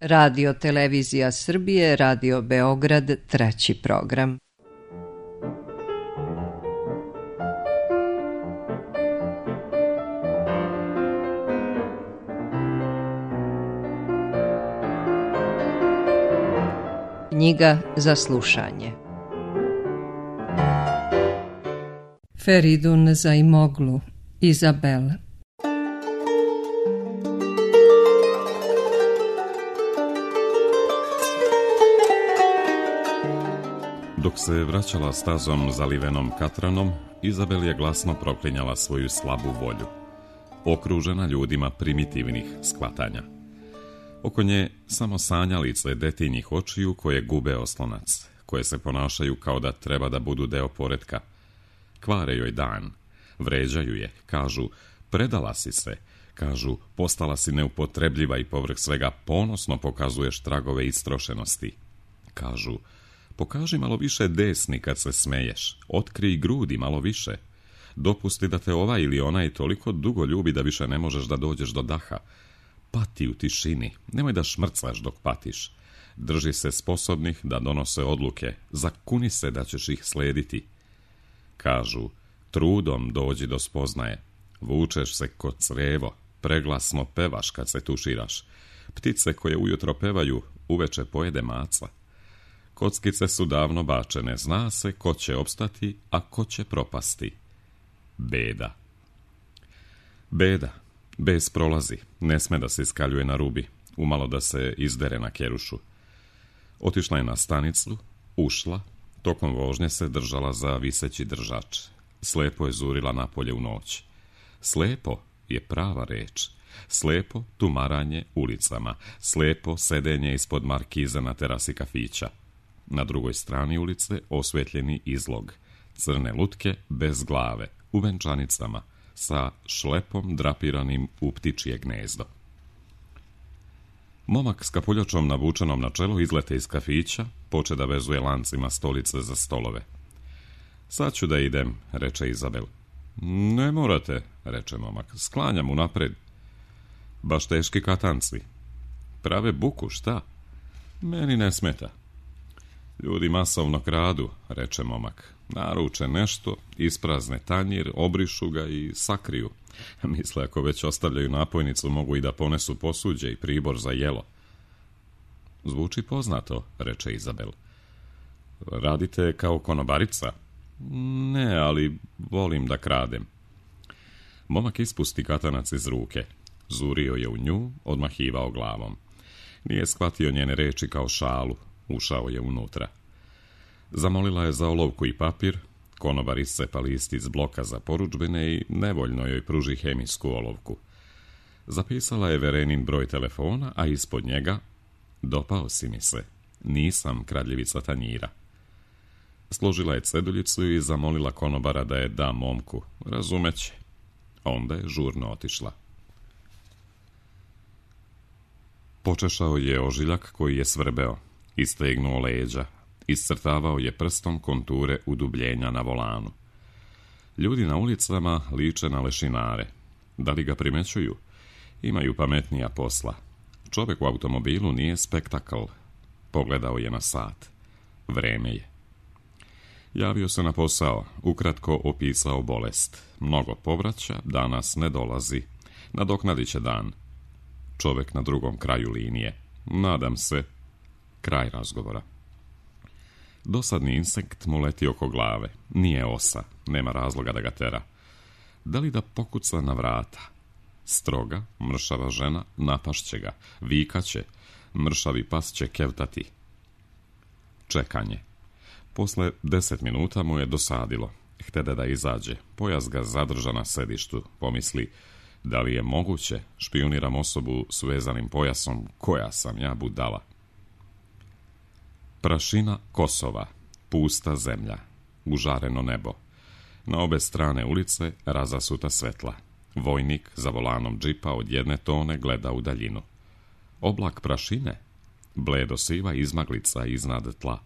Radio Televizija Srbije, Radio Beograd, 3. program. Knjiga za slušanje. Feridun Zaimoglu, Izabel. Dok se vraćala stazom zalivenom katranom, Izabel je glasno proklinjala svoju slabu volju, okružena ljudima primitivnih shvatanja. Oko nje samo sanjalice detinjih očiju koje gube oslonac, koje se ponašaju kao da treba da budu deo poretka. Kvare joj dan, vređaju je, kažu predala si se, kažu postala si neupotrebljiva i povrh svega ponosno pokazuješ tragove istrošenosti. Kažu pokaži malo više desni kad se smeješ, otkrij grudi malo više, dopusti da te ovaj ili onaj toliko dugo ljubi da više ne možeš da dođeš do daha. Pati u tišini, nemoj da šmrcaš dok patiš. Drži se sposobnih da donose odluke, zakuni se da ćeš ih slediti. Kažu, trudom dođi do spoznaje, vučeš se kod crevo, preglasno pevaš kad se tuširaš. Ptice koje ujutro pevaju, uveče pojede maca. Kockice su davno bačene, zna se ko će opstati, a ko će propasti. Beda. Beda. Bes prolazi, ne sme da se iskaljuje na rubi, umalo da se izdere na kerušu. Otišla je na stanicu, ušla, tokom vožnje se držala za viseći držač. Slepo je zurila napolje u noć. Slepo je prava reč. Slepo tumaranje ulicama, slepo sedenje ispod markize na terasi kafića. Na drugoj strani ulice osvetljeni izlog, crne lutke bez glave, u venčanicama, sa šlepom drapiranim u ptičje gnezdo. Momak s kapuljačom navučenom na čelu izlete iz kafića, poče da vezuje lancima stolice za stolove. Sad ću da idem, reče Izabel. Ne morate, reče momak, sklanjam unapred. Baš teški katanci. Prave buku, šta? Meni ne smeta. Ljudi masovno kradu, reče momak. Naruče nešto, isprazne tanjir, obrišu ga i sakriju. Misle, ako već ostavljaju napojnicu, mogu i da ponesu posuđe i pribor za jelo. Zvuči poznato, reče Izabel. Radite kao konobarica? Ne, ali volim da kradem. Momak ispusti katanac iz ruke. Zurio je u nju, odmahivao glavom. Nije shvatio njene reči kao šalu. Ušao je unutra. Zamolila je za olovku i papir, konobar iscepa list iz bloka za porudžbine i nevoljno joj pruži hemijsku olovku. Zapisala je Verenin broj telefona, a ispod njega dopao si mi se, nisam kradljivica tanjira. Složila je ceduljicu i zamolila konobara da je da momku, razumeće. Onda je žurno otišla. Počešao je ožiljak koji je svrbeo. Istegnuo leđa, iscrtavao je prstom konture udubljenja na volanu. Ljudi na ulicama liče na lešinare. Da li ga primećuju? Imaju pametnija posla. Čovjek u automobilu nije spektakl. Pogledao je na sat. Vreme je. Javio se na posao, ukratko opisao bolest. Mnogo povraća, danas ne dolazi. Nadoknadit će dan. Čovjek na drugom kraju linije. Nadam se. Kraj razgovora. Dosadni insekt mu leti oko glave. Nije osa, nema razloga da ga tera. Da li da pokuca na vrata? Stroga, mršava žena napašće ga, vikaće, mršavi pas će kevtati. Čekanje. Posle 10 minuta mu je dosadilo. Htede da izađe. Pojas ga zadrža na sedištu. Pomisli, da li je moguće? Špioniram osobu s vezanim pojasom. Koja sam ja budala? Prašina Kosova, pusta zemlja, užareno nebo. Na obe strane ulice razasuta svetla. Vojnik za volanom džipa od jedne tone gleda u daljinu. Oblak prašine, bledo siva izmaglica iznad tla.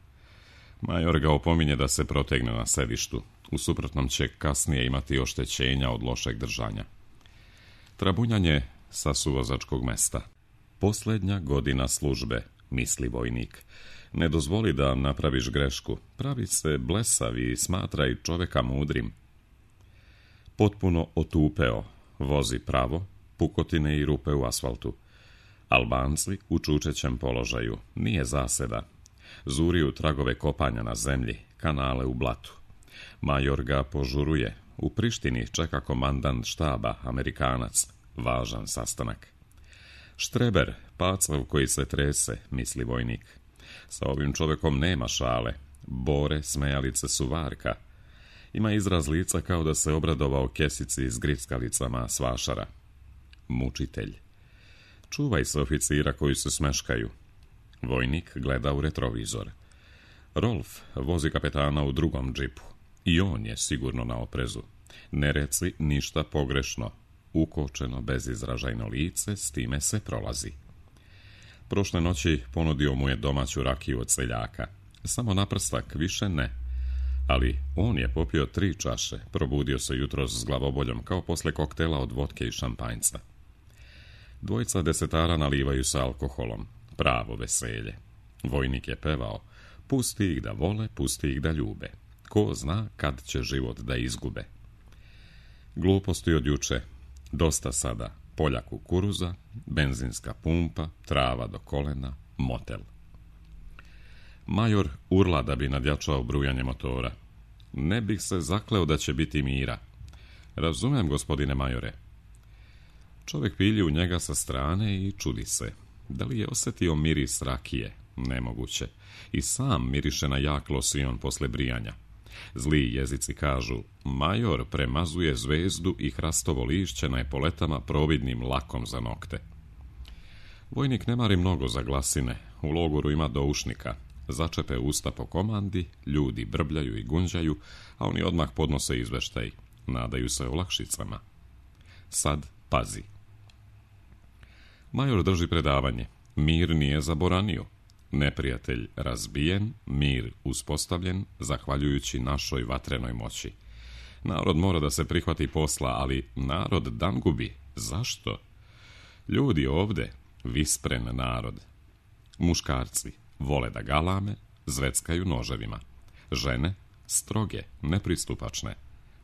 Major ga opominje da se protegne na sedištu. U suprotnom će kasnije imati oštećenja od lošeg držanja. Trabunjanje sa suvozačkog mesta. Posljednja godina službe, misli vojnik. Ne dozvoli da napraviš grešku, pravi se blesav i smatraj čoveka mudrim. Potpuno otupeo, vozi pravo, pukotine i rupe u asfaltu. Albanci u čučećem položaju, nije zaseda. Zuriju tragove kopanja na zemlji, kanale u blatu. Major ga požuruje, u Prištini čeka komandant štaba, Amerikanac, važan sastanak. Štreber, pacav koji se trese, misli vojnik. Sa ovim čovekom nema šale, bore, smejalice su varka. Ima izraz lica kao da se obradovao kesici s grickalicama s vašara. Mučitelj. Čuvaj se oficira koji se smeškaju. Vojnik gleda u retrovizor. Rolf vozi kapetana u drugom džipu. I on je sigurno na oprezu. Ne reci ništa pogrešno. Ukočeno, bezizražajno lice, s time se prolazi. Prošle noći ponudio mu je domaću rakiju od seljaka. Samo na prstak, više ne. Ali on je popio 3 čaše, probudio se jutros s glavoboljom kao posle koktela od vodke i šampanjca. Dvojica desetara nalivaju sa alkoholom. Pravo veselje. Vojnik je pevao. Pusti ih da vole, pusti ih da ljube. Ko zna kad će život da izgube. Gluposti od juče. Dosta sada. Polja kukuruza, benzinska pumpa, trava do kolena, motel. Major urla da bi nadjačao brujanje motora. Ne bih se zakleo da će biti mira. Razumem, gospodine majore. Čovjek pilji u njega sa strane i čudi se. Da li je osjetio miris rakije? Nemoguće. I sam miriše na jak losion posle brijanja. Zli jezici kažu, major premazuje zvezdu i hrastovo lišće na epoletama providnim lakom za nokte. Vojnik ne mari mnogo za glasine, u logoru ima doušnika. Začepe usta po komandi, ljudi brbljaju i gunđaju, a oni odmah podnose izveštaj. Nadaju se olakšicama. Sad pazi. Major drži predavanje. Mir nije zaboranio. Neprijatelj razbijen, mir uspostavljen, zahvaljujući našoj vatrenoj moći. Narod mora da se prihvati posla, ali narod dan gubi. Zašto? Ljudi ovde, vispren narod. Muškarci vole da galame, zveckaju noževima. Žene, stroge, nepristupačne.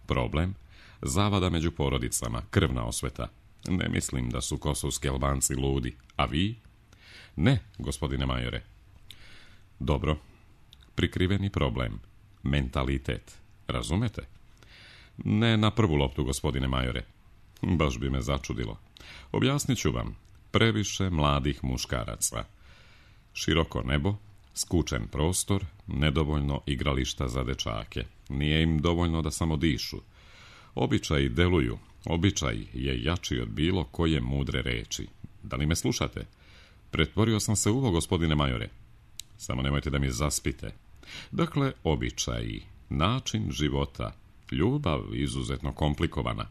Problem, zavada među porodicama, krvna osveta. Ne mislim da su kosovski Albanci ludi, a vi? Ne, gospodine majore. Dobro, prikriveni problem, mentalitet, razumete? Ne na prvu loptu, gospodine majore. Baš bi me začudilo. Objasnit ću vam. Previše mladih muškaraca. Široko nebo, skučen prostor, nedovoljno igrališta za dečake. Nije im dovoljno da samo dišu. Običaji deluju. Običaj je jači od bilo koje mudre reči. Da li me slušate? Pretvorio sam se uvo, gospodine majore. Samo nemojte da mi zaspite. Dakle, običaji, način života, ljubav izuzetno komplikovana.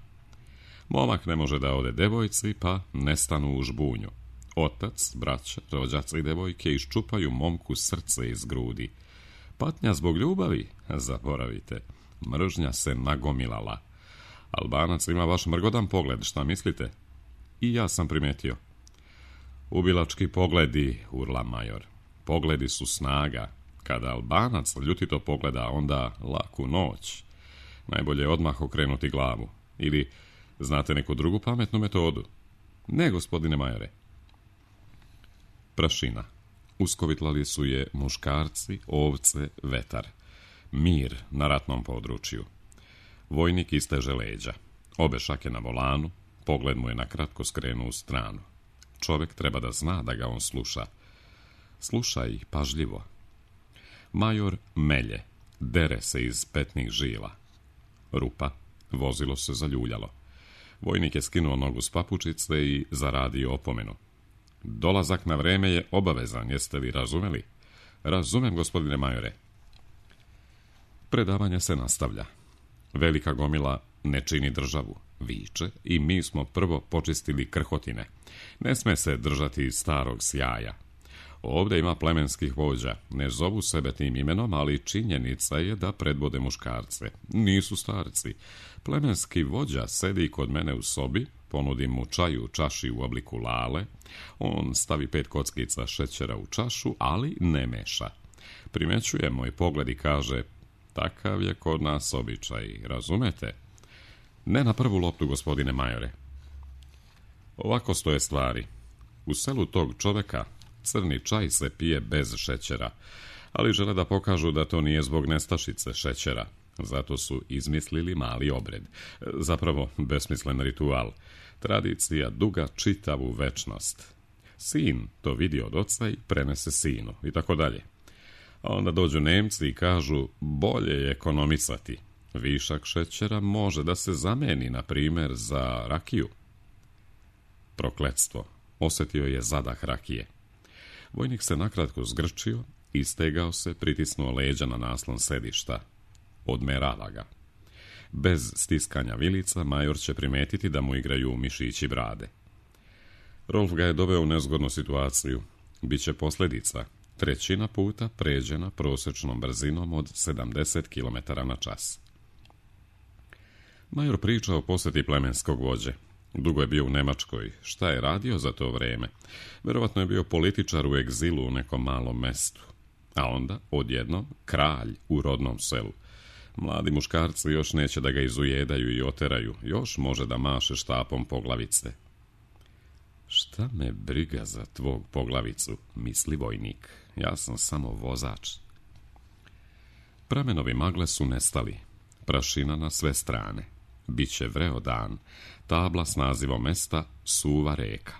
Momak ne može da ode devojci, pa nestanu u žbunju. Otac, braća, rođaci i devojke iščupaju momku srce iz grudi. Patnja zbog ljubavi? Zaboravite. Mržnja se nagomilala. Albanac ima vaš mrgodan pogled, šta mislite? I ja sam primetio. Ubilački pogledi, urla major. Pogledi su snaga. Kada Albanac ljutito pogleda, onda laku noć. Najbolje je odmah okrenuti glavu. Ili znate neku drugu pametnu metodu? Ne, gospodine majore. Prašina. Uskovitlali su je muškarci, ovce, vetar. Mir na ratnom području. Vojnik isteže leđa. Obe šake na volanu, pogled mu je nakratko skrenuo u stranu. Čovjek treba da zna da ga on sluša. Slušaj pažljivo. Major melje, dere se iz petnih žila. Rupa, vozilo se zaljuljalo. Vojnik je skinuo nogu s papučice i zaradio opomenu. Dolazak na vreme je obavezan, jeste li razumeli? Razumem, gospodine majore. Predavanje se nastavlja. Velika gomila ne čini državu, viče, i mi smo prvo počistili krhotine. Ne sme se držati starog sjaja. Ovdje ima plemenskih vođa. Ne zovu sebe tim imenom, ali činjenica je da predvode muškarce. Nisu starci. Plemenski vođa sedi kod mene u sobi, Ponudim mu čaj u čaši u obliku lale, on stavi 5 kockica šećera u čašu, ali ne meša. Primećuje moj pogled i kaže, takav je kod nas običaj, razumete? Ne na prvu loptu, gospodine majore. Ovako stoje stvari. U selu tog čoveka crni čaj se pije bez šećera, ali žele da pokažu da to nije zbog nestašice šećera. Zato su izmislili mali obred. Zapravo, besmislen ritual. Tradicija duga čitavu večnost. Sin to vidi od oca i prenese sinu, i tako dalje. A onda dođu Nemci i kažu, bolje je ekonomisati. Višak šećera može da se zameni, na primjer, za rakiju. Prokletstvo. Osjetio je zadah rakije. Vojnik se nakratko zgrčio, istegao se, pritisnuo leđa na naslon sedišta. Odmerava ga. Bez stiskanja vilica, major će primetiti da mu igraju mišići brade. Rolf ga je doveo u nezgodnu situaciju. Biće posljedica. 1/3 puta pređena prosječnom brzinom od 70 km na čas. Major priča o posjeti plemenskog vođe. Dugo je bio u Nemačkoj. Šta je radio za to vrijeme? Vjerovatno je bio političar u egzilu u nekom malom mestu. A onda, odjednom, kralj u rodnom selu. Mladi muškarci još neće da ga izujedaju i oteraju. Još može da maše štapom poglavice. Šta me briga za tvog poglavicu, misli vojnik. Ja sam samo vozač. Pramenovi magle su nestali. Prašina na sve strane. Biće vreo dan. Tabla s nazivom mesta Suva reka.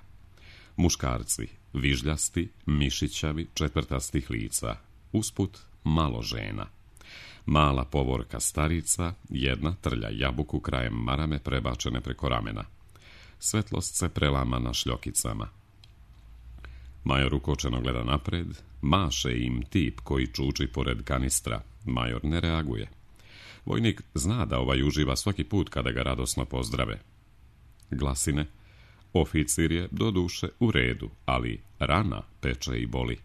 Muškarci, vižljasti, mišićavi, četvrtastih lica. Usput malo žena. Mala povorka starica, jedna trlja jabuku krajem marame prebačene preko ramena. Svetlost se prelama na šljokicama. Major ukočeno gleda napred, maše im tip koji čuči pored kanistra. Major ne reaguje. Vojnik zna da ovaj uživa svaki put kada ga radosno pozdrave. Glasine, oficir je do duše u redu, ali rana peče i boli.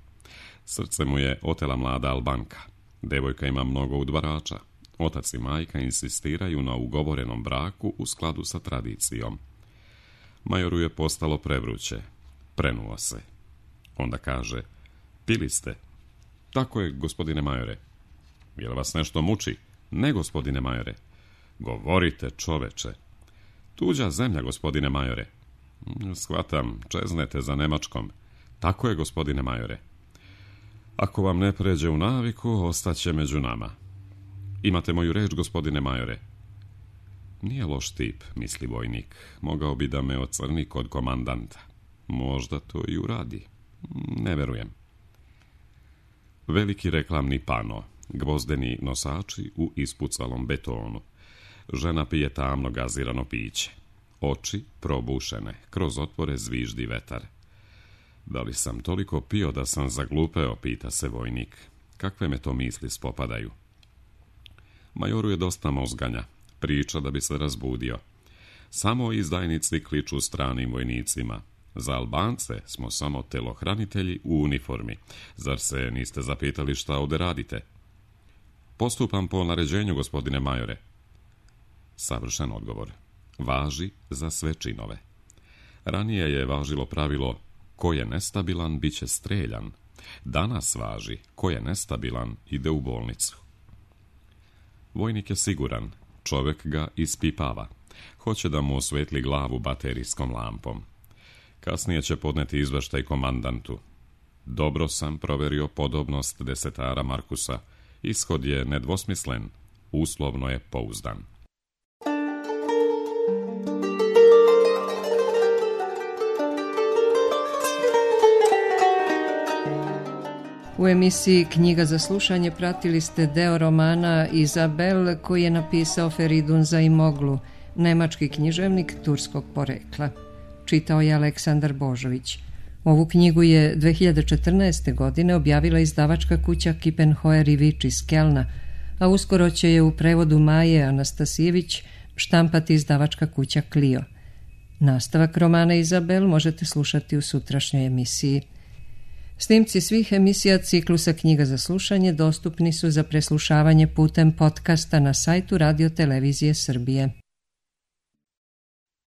Srce mu je otela mlada Albanka. Devojka ima mnogo udvarača. Otac i majka insistiraju na ugovorenom braku u skladu sa tradicijom. Majoru je postalo prevruće. Prenuo se. Onda kaže, pili ste? Tako je, gospodine majore. Je li vas nešto muči? Ne, gospodine majore. Govorite, čoveče. Tuđa zemlja, gospodine majore. Shvatam, čeznete za Nemačkom. Tako je, gospodine majore. Ako vam ne pređe u naviku, ostaće među nama. Imate moju reč, gospodine majore. Nije loš tip, misli vojnik. Mogao bi da me ocrni kod komandanta. Možda to i uradi. Ne verujem. Veliki reklamni pano. Gvozdeni nosači u ispucalom betonu. Žena pije tamno gazirano piće. Oči probušene, kroz otvore zviždi vetar. Da li sam toliko pio da sam zaglupeo, pita se vojnik. Kakve me to misli spopadaju? Majoru je dosta mozganja. Priča da bi se razbudio. Samo izdajnici kliču stranim vojnicima. Za Albance smo samo telohranitelji u uniformi. Zar se niste zapitali šta ovdje radite? Postupam po naređenju, gospodine majore. Savršen odgovor. Važi za sve činove. Ranije je važilo pravilo ko je nestabilan, bit će streljan. Danas važi ko je nestabilan, ide u bolnicu. Vojnik je siguran. Čovjek ga ispipava. Hoće da mu osvetli glavu baterijskom lampom. Kasnije će podneti izveštaj komandantu. Dobro sam proverio podobnost desetara Markusa. Ishod je nedvosmislen. Uslovno je pouzdan. U emisiji Knjiga za slušanje pratili ste deo romana Izabel koji je napisao Feridun Zaimoglu, nemački književnik turskog porekla. Čitao je Aleksandar Božović. Ovu knjigu je 2014. godine objavila izdavačka kuća Kippenheuer i Vič iz Kelna, a uskoro će je u prevodu Maje Anastasijević štampati izdavačka kuća Clio. Nastavak romana Izabel možete slušati u sutrašnjoj emisiji. Snimci svih emisija ciklusa Knjiga za slušanje dostupni su za preslušavanje putem podcasta na sajtu Radio Televizije Srbije.